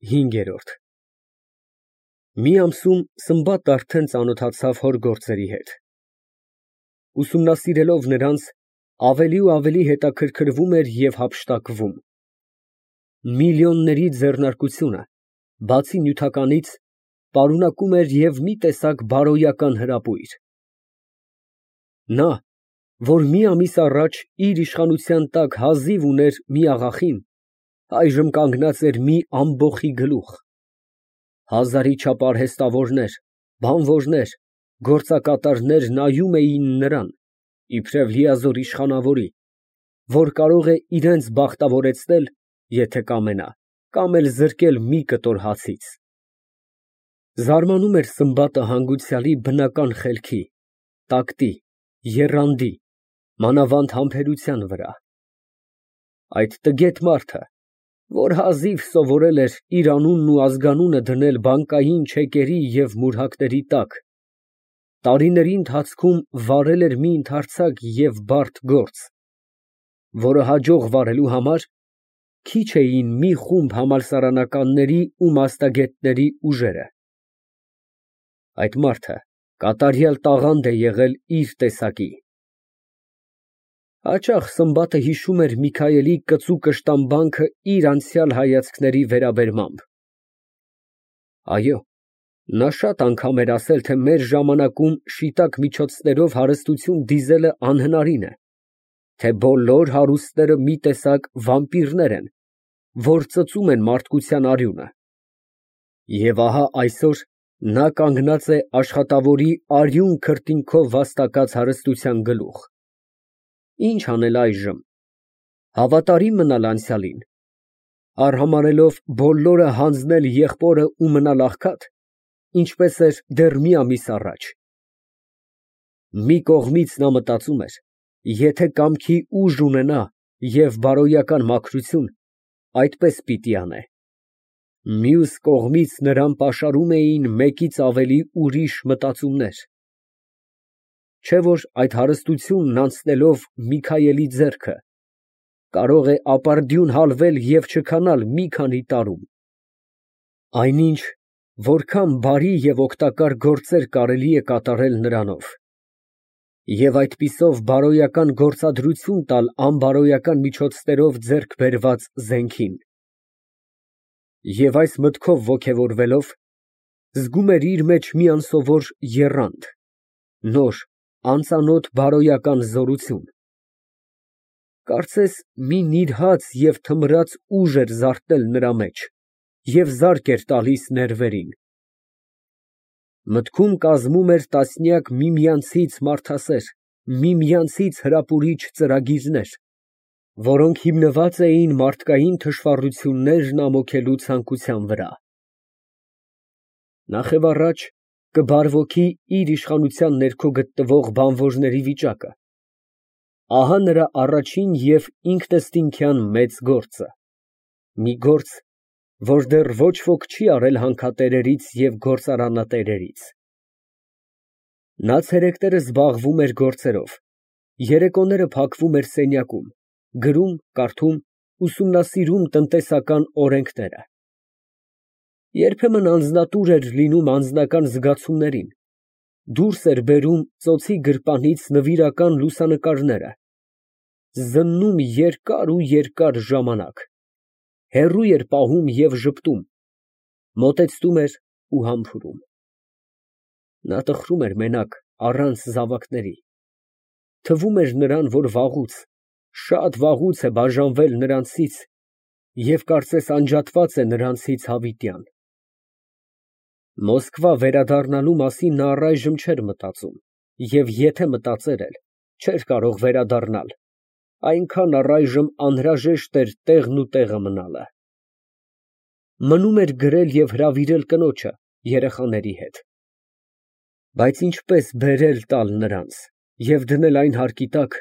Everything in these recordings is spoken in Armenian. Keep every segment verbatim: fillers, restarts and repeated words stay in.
Հինգերորդ Մի ամսում Սմբատն արդեն ծանոթացավ հոր գործերի հետ, ուսումնասիրելով նրանց, ավելի ու ավելի հետաքրքրվում էր և հափշտակվում. միլիոնների ձեռնարկությունը, բացի նյութականից, պարունակում էր և մի տեսակ բարոյական հրապույր. նա, որ մի ամիս առաջ իր իշխանության տակ հազիվ ուներ մի աղախին, այժմ կանգնած էր մի ամբոխի գլուխ. հազարի չափ արհեստավորներ, բանվորներ, գործակատարներ նայում էին նրան, իբրև լիազոր իշխանավորի, որ կարող է իրենց բախտավորեցնել, եթե կամենա, կամ էլ զրկել մի կտոր հացից։ Զարմանում էր Սմբատը հանգուցյալի բնական խելքի, տակտի, եռանդի, մանավանդ համբերության վրա։ Այդ տգետ մարդը, որ հազիվ սովորել էր իր անունն ու ազգանունը դնել բանկային չեկերի և մուրհակների տակ, տարիների ընթացքում վարել էր մի ընդարձակ և բարդ գործ, որը հաջող վարելու համար քիչ էին մի խումբ համալսարանականների ու մասնագետների ուժերը։ Այդ մարդը կատարյալ տաղանդ է եղել իր տեսակի։ Հաճախ Սմբատը հիշում էր Միքայելի կծու կշտամբանքը իր անցյալ հայացքների վերաբերմամբ։ Այո, նա շատ անգամ էր ասել, թե մեր ժամանակում շիտակ միջոցներով հարստություն դիզելը անհնարին է, թե բոլոր հարուստները մի տեսակ վամպիրներ են, որ ծծում են մարդկության արյունը։ Եվ ահա այսօր նա կանգնած է աշխատավորի արյուն քրտինքով վաստակած հարստության գլուխ։ Ինչ անել այժմ։ Հավատարիմ մնալ անցյալին, արհամարհելով բոլորը հանձնել եղբորը ու մնալ աղքատ, ինչպես էր դեռ մի ամիս առաջ։ Մի կողմից նա մտածում էր, եթե կամքի ուժ ունենա և բարոյական մաքրություն, այդպես պիտի անե։ Մյուս կողմից նրան պաշարում էին մեկից ավելի ուրիշ մտածումներ։ Չէ՞ որ այդ հարստությունն անցնելով Միքայելի ձեռքը, կարող է ապարդյուն հալվել և չքանալ մի քանի տարում։ Այնինչ, որքան բարի և օգտակար գործեր կարելի է կատարել նրանով, և այդպիսով բարոյական գործադրություն տալ անբարոյական միջոցներով ձեռք բերված զենքին։ Եվ այս մտքով ոգևորվելով, զգում էր իր մեջ մի անսովոր եռանդ, նոր, անծանոթ բարոյական զորություն։ Կարծես մի նիրհած և թմրած ուժ էր զարթնել նրա մեջ և զարկ էր տալիս ներվերին։ Մտքում կազմում էր տասնյակ միմյանցից մարդասեր, միմյանցից հրապուրիչ ծրագրեր, որոնք հիմնված էին մարդկային թշվառություններն ամոքելու ցանկության վրա։ Նախևառաջ կբարվոքի իր իշխանության ներքո գտնվող բանվորների վիճակը։ Ահա նրա առաջին և ինքնըստինքյան մեծ գործը, մի գործ, որ դեռ ոչ ոք չի արել հանքատերերից և գործարանատերերից։ Նա ցերեկները զբաղվում էր գործերով, երեկոները փակվում էր սենյակում, գրում, կարդում, ուսումնասիրում տնտեսական օրենքները։ Երբեմն անձնատուր էր լինում անձնական զգացումներին, դուրս էր բերում ծոցի գրպանից նվիրական լուսանկարները, զննում երկար ու երկար ժամանակ, հեռու էր պահում և ժպտում, մոտեցնում էր ու համբուրում։ Նա տխրում էր մենակ, առանց զավակների, թվում էր նրան, որ վաղուց, շատ վաղուց է բաժանվել նրանցից և կարծես անջատված է նրանցից հավիտյան։ Մոսկվա վերադառնալու մասին նա առայժմ չէր մտածում և եթե մտածեր էլ, չէր կարող վերադառնալ, այնքան առայժմ անհրաժեշտ էր տեղն ու տեղը մնալը։ Մնում էր գրել և հրավիրել կնոջը երեխաների հետ։ Բայց ինչպես բերել տալ նրանց և դնել այն հարկի տակ,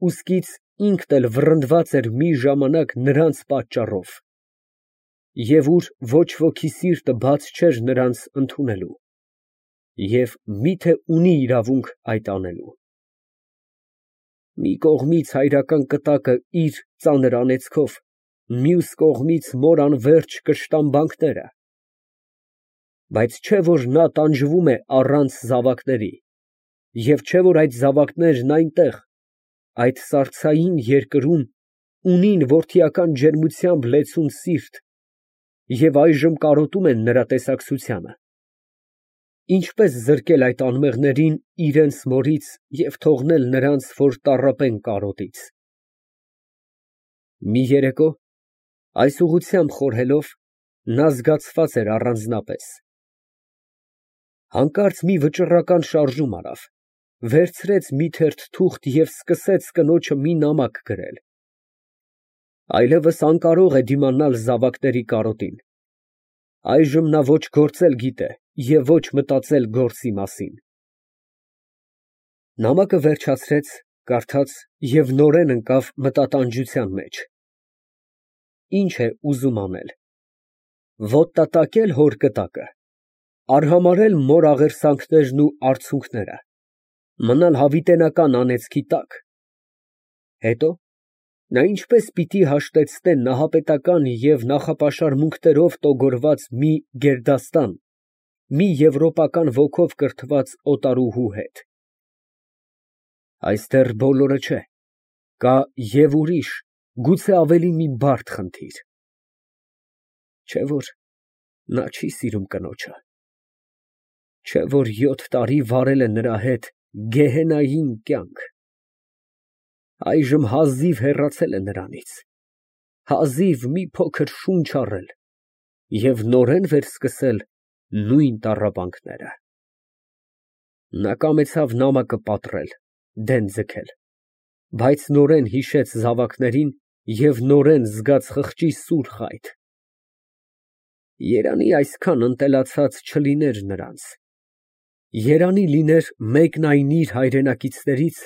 ուստից ինքն էլ վռնդված էր մի ժամանակ նրանց պատճառով, և ուր ոչ ոքի սիրտը բաց չէր նրանց ընդունելու, և միթե ունի իրավունք այդ անելու։ Մի կողմից հայրական կտակը իր ծանր անեծքով, մյուս կողմից մոր անվերջ կշտամբանքները։ Բայց չէ՞ որ նա տանջվում է առանց զավակների, և չէ՞ որ այդ զավակներն այնտեղ, այդ սարսափային երկրում, ունին որդիական ջերմությամբ լեցուն սիրտ և այժմ կարոտում են նրա տեսակցությանը։ Ինչպե՞ս զրկել այդ անմեղներին իրենց մորից և թողնել նրանց, որ տառապեն կարոտից։ Մի երեկո, այս ուղղությամբ խորհելով, նա զգացված էր առանձնապես։ Հանկարծ մի վճռական շարժում արավ, վերցրեց մի թերթ թուղթ և սկսեց կնոջը մի նամակ գրել։ Այլևս անկարող է դիմանալ զավակների կարոտին։ Այժմ նա ոչ գործել գիտե և ոչ մտածել գործի մասին։ Նամակը վերջացրեց, կարդաց և նորեն ընկավ մտատանջության մեջ։ Ի՞նչ է ուզում անել։ Ոտնատակե՞լ հոր կտակը, արհամարհե՞լ մոր աղերսանքներն ու արցունքները, մնալ հավիտենական անեծքի տա՞կ։ Հետո, նա ինչպես պիտի հաշտեցնե նահապետական և նախապաշարմունքներով տոգորված մի գերդաստան մի եվրոպական ոգով կրթված օտարուհու հետ։ Այս դեռ բոլորը չէ, կա և ուրիշ, գուցե ավելի մի բարդ խնդիր։ Չէ՞ որ նա չի սիրում կնոջը։ Չէ՞ որ յոթ տարի վարել է նրա հետ գեհենային կյանք։ Այժմ հազիվ հեռացել է նրանից, հազիվ մի փոքր շունչ առել և նորեն վերսկսել նույն տառապանքները։ Նա կամեցավ նամակը պատռել, դեն ձգել, բայց նորեն հիշեց զավակներին և նորեն զգաց խղճի սուր խայթ։ Երանի այսքան ընտելացած չլիներ նրանց։ Երանի լիներ մեկն այն իր հայրենակիցներից,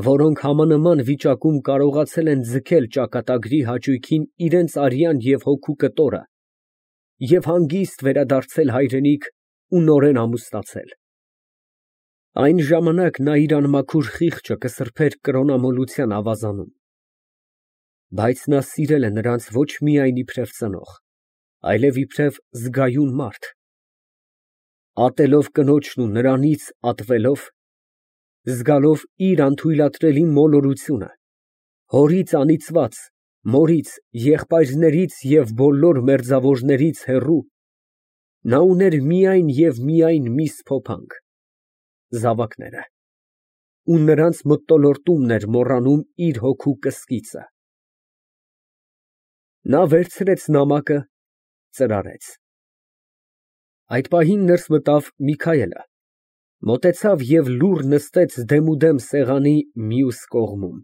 որոնք համանման վիճակում կարողացել են ձգել ճակատագրի հաճույքին իրենց արյան և հոգու կտորը և հանգիստ վերադարձել հայրենիք ու նորեն ամուսնացել։ Այն ժամանակ նա իր անմաքուր խիղճը կսրբեր կրոնամոլության ավազանում։ Բայց նա սիրել է նրանց ոչ միայն իբրև ծնող, այլև իբրև զգայուն մարդ։ Ատելով կնոջն ու նրանից ատվելով, զգալով իր անթույլատրելի մոլորությունը, հորից անիծված, մորից, եղբայրներից և բոլոր մերձավորներից հեռու, նա ուներ միայն և միայն մի սփոփանք՝ զավակները, ու նրանց մթնոլորտումն էր մոռանում իր հոգու կսկիծը։ Նա վերցրեց նամակը, ծրարեց։ Այդ պահին ներս մտավ Միքայելը, մոտեցավ և լուռ նստեց դեմուդեմ սեղանի մյուս կողմում։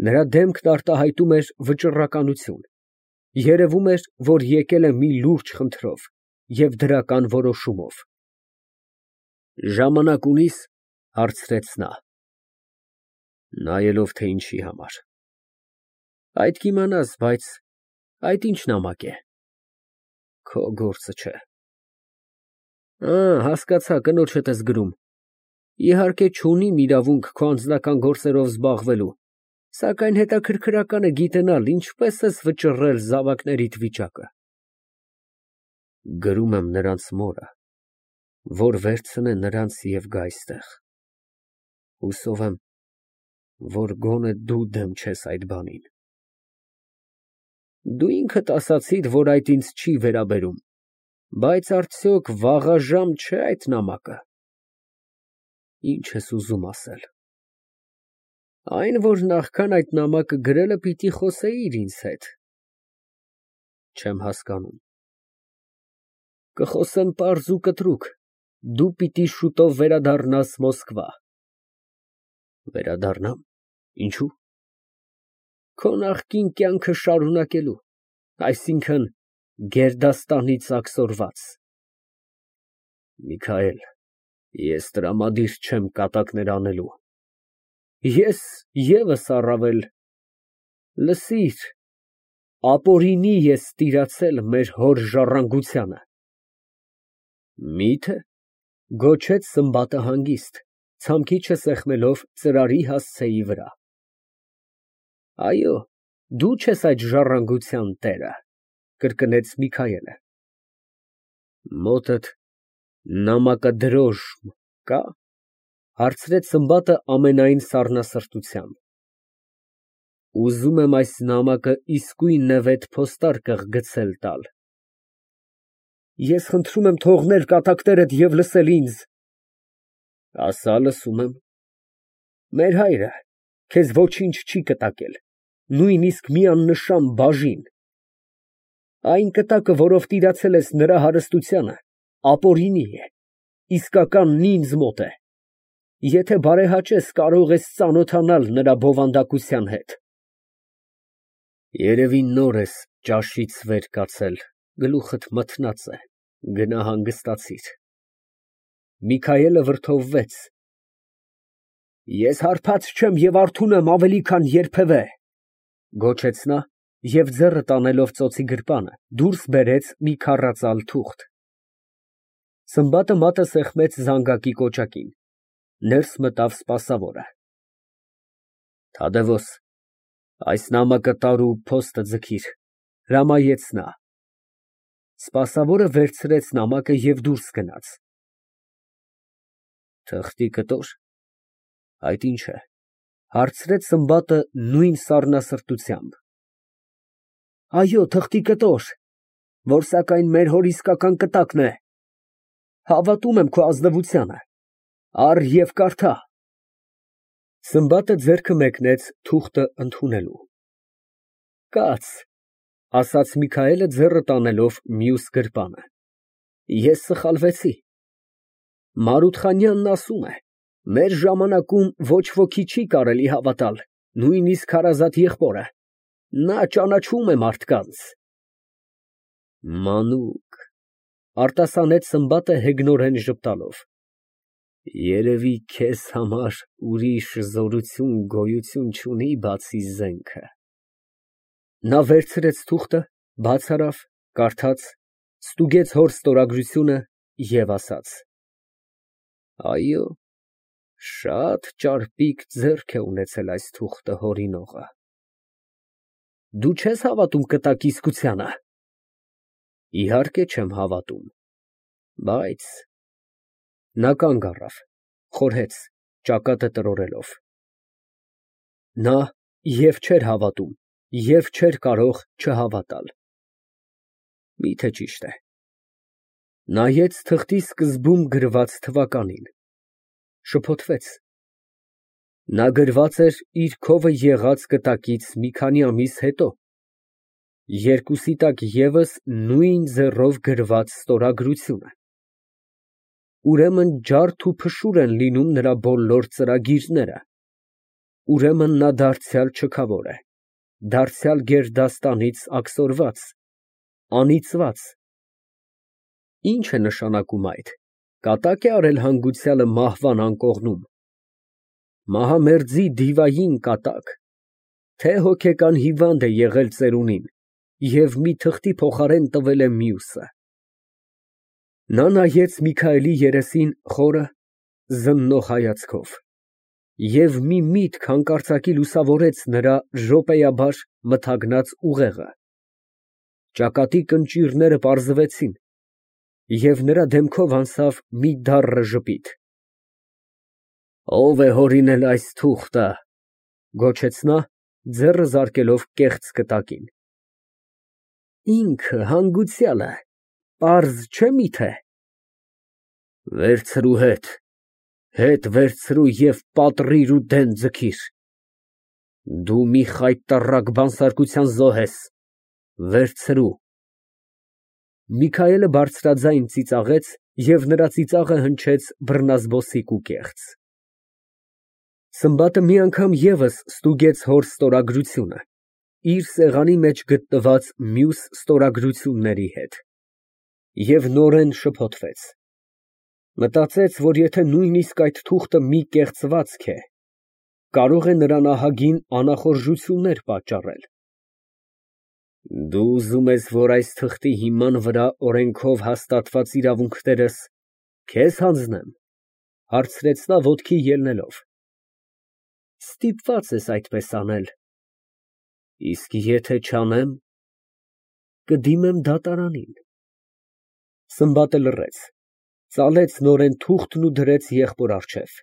Նրա դեմքն արտահայտում էր վճռականություն, երևում էր, որ եկել է մի լուրջ խնդրով և դրական որոշումով։ «Ժամանակ ունի՞ս, ֊ հարցրեց նա։ ֊ Նայելով, թե ինչի համար։ ֊ Այդ կիմանաս, բայց այդ ի՞նչ նամակ է։ ֊ Քո գործը չէ։ ֊ Ա, հասկացա, կնոջդ ես գրում։ Իհարկե, չունիմ իրավունք քո անձնական գործերով զբաղվելու, սակայն հետաքրքրական է գիտենալ ինչպես ես վճռել զավակներիդ վիճակը։ ֊ Գրում եմ նրանց մորը, որ վերցնե նրանց և գա այստեղ։ Հուսով եմ, որ գոնե դու դեմ չես այդ բանին։ Դու ինքդ ասացիր, որ այդ ինձ չի վերաբերում, բայց արդյոք վաղաժամ չէ՞ այդ նամակը։ Ի՞նչ ես ուզում ասել։ Այն, որ նախքան այդ նամակը գրելը պիտի խոսեիր ինձ հետ։ Չեմ հասկանում։ Կխոսեմ պարզ ու կտրուկ, դու պիտի շուտով վերադառնաս Մոսկվա։ Վերադառնամ, ինչո՞ւ։ Քո նախկին կյանքը շարունակելու, այսինքն՝ գերդաստանից աքսորված։ Միքայել, ես տրամադիր չեմ կատակներ անելու։ Ես ևս առավել։ Լսիր, ապօրինի ես տիրացել մեր հոր ժառանգությանը։ Մի՞թե, ֊ գոչեց Սմբատը հանգիստ, ցամքիչը սեղմելով ծրարի հասցեի վրա։ Այո, Դու չես այդ ժառանգության տերը, կրկնեց Միքայելը։ Մոտդ նամակադրոժմ կա՞, հարցրեց Սմբատը ամենայն սառնասրտությամբ։ Ուզում եմ այս նամակը իսկույն նվետ փոստարկղ գցել տալ։ Ես խնդրում եմ թողնել կատակներդ և լսել ինձ։ Ասա, լսում եմ։ Մեր հայրը քեզ ոչինչ չի կտակել, նույնիսկ մի աննշան բաժին։ Այն կտակը, որով տիրացել ես նրա հարստությանը, ապօրինի է, իսկականն ինձ մոտ է։ Եթե բարեհաճես, կարող ես ծանոթանալ նրա բովանդակության հետ։ Երևի նոր ես ճաշից վեր կացել, գլուխդ մթնած է, գնա հանգստացիր։ Միքայելը վրդովվեց։ Ես հարբած չեմ և արթուն եմ ավելի, քան երբևէ, գոչեց նա և ձեռը տանելով ծոցի գրպանը, դուրս բերեց մի քառածալ թուղթ։ Սմբատը մատը սեղմեց զանգակի կոճակին, ներս մտավ սպասավորը։ Թադևոս, այս նամակը տար ու փոստը ձգիր, հրամայեց նա։ Սպասավորը վերցրեց նամակը և դուրս գնաց։ Թղթի կտոր, այդ ի՞նչ է, հարցրեց Սմբատը նույն սառնասրտությամբ։ Այո, թղթի կտոր, որ սակայն մեր հոր իսկական կտակն է։ Հավատում եմ քո ազնվությանը, առ և կարդա։ Սմբատը ձեռքը մեկնեց թուղթը ընդունելու։ Կաց, ասաց Միքայելը ձեռը տանելով մյուս գրպանը, ես սխալվեցի։ Մարութխանյանն ասում է, մեր ժամանակում ոչ ոքի չի կարելի հավատալ, նույնիսկ հարազատ եղբորը, նա ճանաչում է մարդկանց։ Մանուկ, արտասանեց Սմբատը հեգնորեն ժպտալով, երևի քեզ համար ուրիշ զորություն գոյություն չունի, բացի զենքը։ Նա վերցրեց թուղթը, բաց արավ, կարդաց, ստուգեց հոր ստորագրությունը և ասաց. Այո, շատ ճարպիկ ձեռք է ունեցել այս թուղթը հորինողը։ Դու չես հավատում կտակի իսկությանը։ Իհարկե չեմ հավատում, բայց… Նա կանգ առավ, խորհեց, ճակատը տրորելով։ Նա և չէր հավատում, և չէր կարող չհավատալ։ Միթե ճիշտ է։ Նայեց թղթի սկզբում գրված թվականին, շփոթվեց։ Նա գրված էր իր քովը եղած կտակից մի քանի ամիս հետո, երկուսի տակ ևս նույն ձեռով գրված ստորագրությունը։ Ուրեմն ջարդ ու փշուր են լինում նրա բոլոր ծրագիրները, ուրեմն նա դարձյալ չքավոր է, դարձյալ գերդաստանից աքսորված, անիծված։ Ի՞նչ է նշանակում այդ, կատա՞կ է արել հանգուցյալը մահվան անկողնում, մահամերձի դիվային կատա՞կ, թե հոգեկան հիվանդ է եղել ծերունին և մի թղթի փոխարեն տվել է մյուսը։ Նա նայեց Միքայելի երեսին խորը, զննող հայացքով, և մի միտք հանկարծակի լուսավորեց նրա րոպեաբար մթագնած ուղեղը, ճակատի կնճիռները պարզվեցին, և նրա դեմքով անցավ մի դառն ժպիտ։ Ո՞վ է հորինել այս թուղթը, գոչեց նա, ձեռը զարկելով կեղծ կտակին։ Ինքը, հանգուցյալը, պարզ չէ՞ միթե։ Վերցրու հետ, հետ վերցրու և պատռիր ու դեն ձգիր։ Դու մի խայտառակ բանսարկության զոհ ես, վերցրու։ Միքայելը բարձրաձայն ծիծաղեց, և նրա ծիծաղը հնչեց բռնազբոսիկ ու կեղծ։ Սմբատը մի անգամ ևս ստուգեց հոր ստորագրությունը, իր սեղանի մեջ գտնված մյուս ստորագրությունների հետ, և նորեն շփոթվեց։ Մտածեց, որ եթե նույնիսկ այդ թուղթը մի կեղծվածք է, կարող է նրան ահագին անախորժություններ պատճառել։ Դու ուզում ես, որ այս թղթի հիման վրա օրենքով հաստատված իրավունքներս քեզ հանձնեմ, հարցրեց նա ոտքի ելնելով։ Ստիպված ես այդպես անել։ Իսկ եթե չանեմ, կդիմեմ դատարանին։ (Սմբատը լռեց, ծալեց նորեն թուղթն ու դրեց եղբոր առջև)։